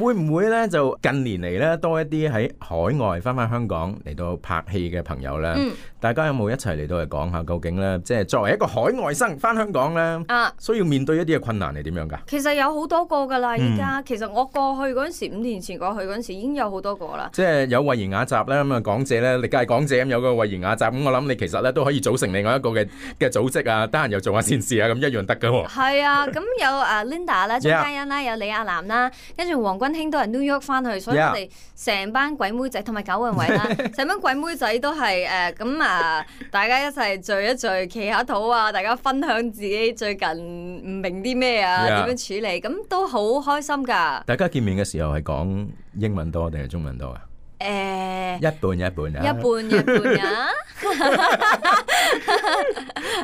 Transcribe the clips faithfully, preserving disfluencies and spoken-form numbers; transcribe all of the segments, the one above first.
會唔會咧就近年嚟咧多一啲喺海外翻返香港嚟到拍戲嘅朋友咧？嗯、大家有冇一齊嚟到嚟講下究竟咧，即係作為一個海外生翻香港咧，啊、需要面對一啲嘅困難係點樣噶？其實有好多個噶啦，依家、嗯、其實我過去嗰陣時，五年前過去嗰陣時已經有好多個啦。即係有慧賢雅集咧，咁啊港姐咧，歷屆港姐咁有個慧賢雅集，咁我諗你其實咧都可以組成另外一個嘅嘅組織啊，得閒又做下善事啊，咁一樣得噶喎。係啊，咁有啊 Linda 啦、張嘉欣啦、有李亞男啦，跟住黃君興都係 New York 翻去，所以我哋成班鬼妹仔同埋九雲偉啦，成班鬼妹仔都係誒咁啊，大家一齊聚一聚，企下肚啊，大家分享自己最近唔明啲咩啊，點 Yeah. 樣處理，咁都好開心㗎。大家見面嘅時候係講英文多定係中文多啊？誒、欸，一半一半啊，一半一半啊。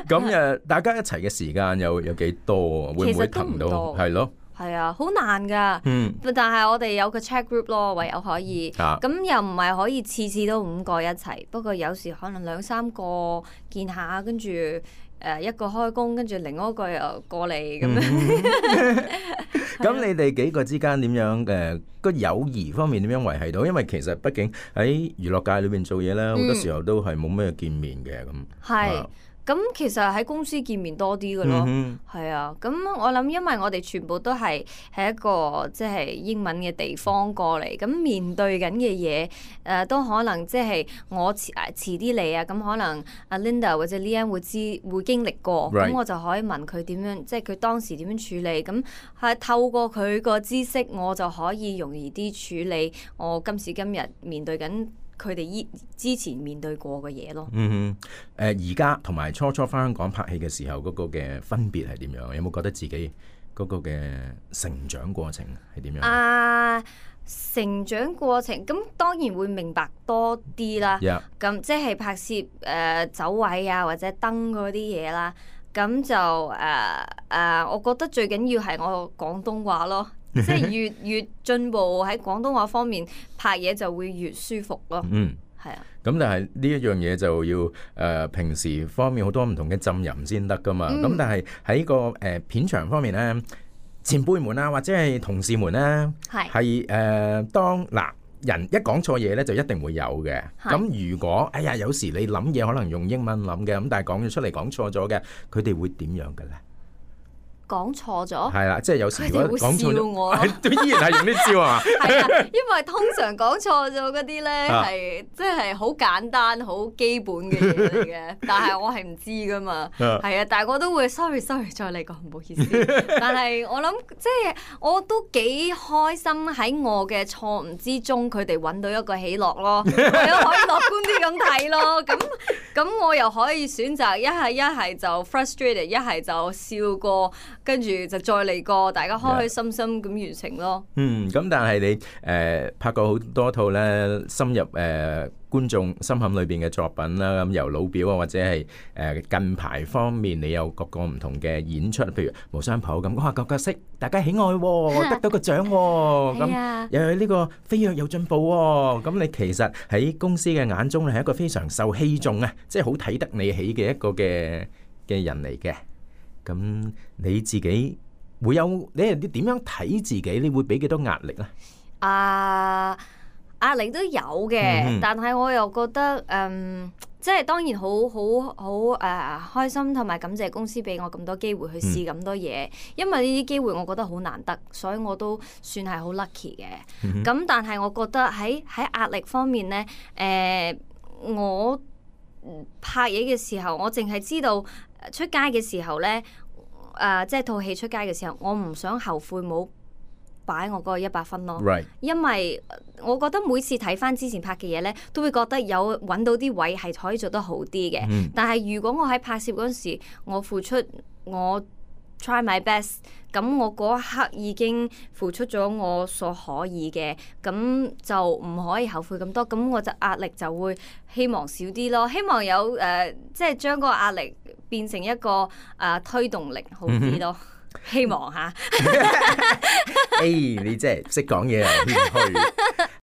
咁誒，大家一齊嘅時間有有幾多啊？會唔會騰到？係咯。係啊，好難噶，嗯、但係我哋有個 chat group 咯，唯有可以，咁、啊、又唔係可以次次都五個一齊，不過有時可能兩三個見下，跟住誒一個開工，跟住另外一個又過嚟咁樣。咁你哋幾個之間點樣誒個友誼方面點樣維繫到？因為其實畢竟喺娛樂界裏邊做嘢咧，好、嗯、多時候都係冇咩見面嘅咁。係。啊咁其實喺公司見面多啲嘅咯，係、嗯、哼啊。咁我諗，因為我哋全部都係喺一個即係英文嘅地方過嚟，咁面對緊嘅嘢誒都可能即係我遲誒遲啲嚟啊。咁可能阿 Linda 或者 Lian 會知會經歷過，咁 Right. 我就可以問佢點樣，即係佢當時點樣處理。咁係透過佢個知識，我就可以容易啲處理我今時今日面對緊佢哋依之前面對過嘅嘢咯。嗯哼，誒而家同埋初初返香港拍戲嘅時候嗰個嘅分別係點樣？有冇覺得自己嗰個嘅成長過程係點樣？啊，成長過程咁當然會明白多啲啦。咁 Yeah. 即係拍攝誒、呃、走位啊，或者燈嗰啲嘢啦。咁就誒誒、呃呃，我覺得最緊要係我廣東話咯。即係越越進步喺廣東話方面拍嘢就會越舒服咯。嗯，係啊。咁但係呢一樣嘢就要誒、呃、平時方面好多唔同嘅浸淫先得噶嘛。咁、嗯、但係喺個誒、呃、片場方面咧，前輩們啊或者係同事們咧，係係誒當嗱人一講錯嘢咧就一定會有嘅。咁是如果哎呀有時你諗嘢可能用英文諗嘅，咁但係講咗出嚟講錯咗嘅，佢哋會點樣嘅咧？講錯咗，係啦，即係有時如果講錯咗，都依然係用啲招啊。係啊，因為通常講錯咗嗰啲咧係即係好簡單、好基本嘅嘢嚟嘅，但係我係唔知噶嘛。係啊，但係我都會 sorry sorry 再嚟講，唔好意思。但係我諗即係我都幾開心喺我嘅錯誤之中，佢哋揾到一個喜樂咯，為咗可以樂觀啲咁睇咯。咁咁我又可以選擇一係一係就 frustrated， 一係就笑過。跟住就再嚟過，大家開開心心咁完成咯。嗯，咁但係你誒、呃、拍過好多套咧，深入誒、呃、觀眾心坎裏邊嘅作品啦。咁由老表啊，或者係誒、呃、近排方面，你有各個唔同嘅演出，譬如無雙譜咁，哇，個角色大家喜愛、哦，得到個獎、哦，咁、啊、又有呢個飛躍有進步、哦。咁你其實喺公司嘅眼中咧，係一個非常受器重啊，即係好睇得你起嘅一個嘅嘅人嚟嘅。咁你自己會有你係啲點樣睇自己？你會俾幾多壓力咧？啊，壓力都有嘅，嗯、哼但係我又覺得，嗯，即係當然好好好誒開心，同埋感謝公司俾我咁多機會去試咁多嘢，嗯、因為呢啲機會我覺得好難得，所以我都算係好 lucky 嘅。咁、嗯、哼但係我覺得喺喺壓力方面咧，誒、呃，我拍嘢嘅時候，我淨係知道。出街嘅時候咧，誒、呃，即係套戲出街嘅時候，我唔想後悔冇擺我嗰個一百分咯。Right. 因為我覺得每次睇翻之前拍嘅嘢咧，都會覺得有揾到啲位係可以做得好啲嘅。Mm. 但係如果我喺拍攝嗰陣時，我付出我 try my best， 咁我嗰一刻已經付出咗我所可以嘅，咁就唔可以後悔咁多，咁我就壓力就會希望少啲咯，希望有誒、呃，即係將個壓力變成一個誒、呃、推動力好啲咯，希望吓。誒，你真係識講嘢又謙虛。